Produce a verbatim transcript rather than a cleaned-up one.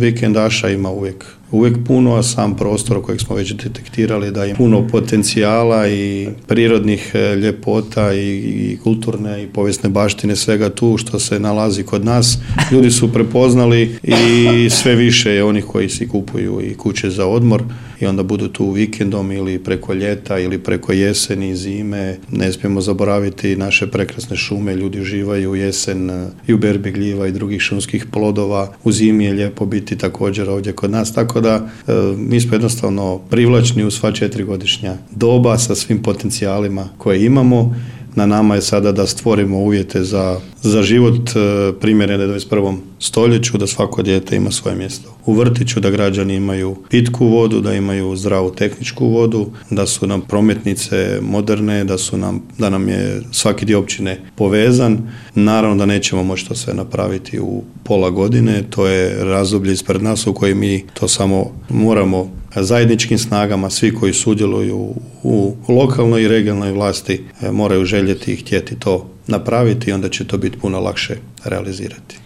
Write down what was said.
vikendaša ima uvijek uvijek puno, a sam prostor kojeg smo već detektirali da ima puno potencijala i prirodnih ljepota i, i kulturne i povijesne baštine, svega tu što se nalazi kod nas. Ljudi su prepoznali i sve više je onih koji si kupuju i kuće za odmor i onda budu tu vikendom ili preko ljeta ili preko jeseni, zime. Ne smijemo zaboraviti naše prekrasne šume, ljudi uživaju u jesen i u berbi gljiva i drugih šumskih plodova. U zimi je lijepo biti također ovdje kod nas, tako da e, mi smo jednostavno privlačni u sva četiri godišnja doba sa svim potencijalima koje imamo. Na nama je sada da stvorimo uvjete za, za život e, primjerene dvadeset prvom stoljeću, da svako dijete ima svoje mjesto u vrtiću, da građani imaju pitku vodu, da imaju zdravu tehničku vodu, da su nam prometnice moderne, da su nam, da nam je svaki dio općine povezan. Naravno da nećemo moći to sve napraviti u pola godine, to je razdoblje ispred nas u kojem mi to samo moramo zajedničkim snagama, svi koji sudjeluju u lokalnoj i regionalnoj vlasti moraju željeti i htjeti to napraviti i onda će to biti puno lakše realizirati.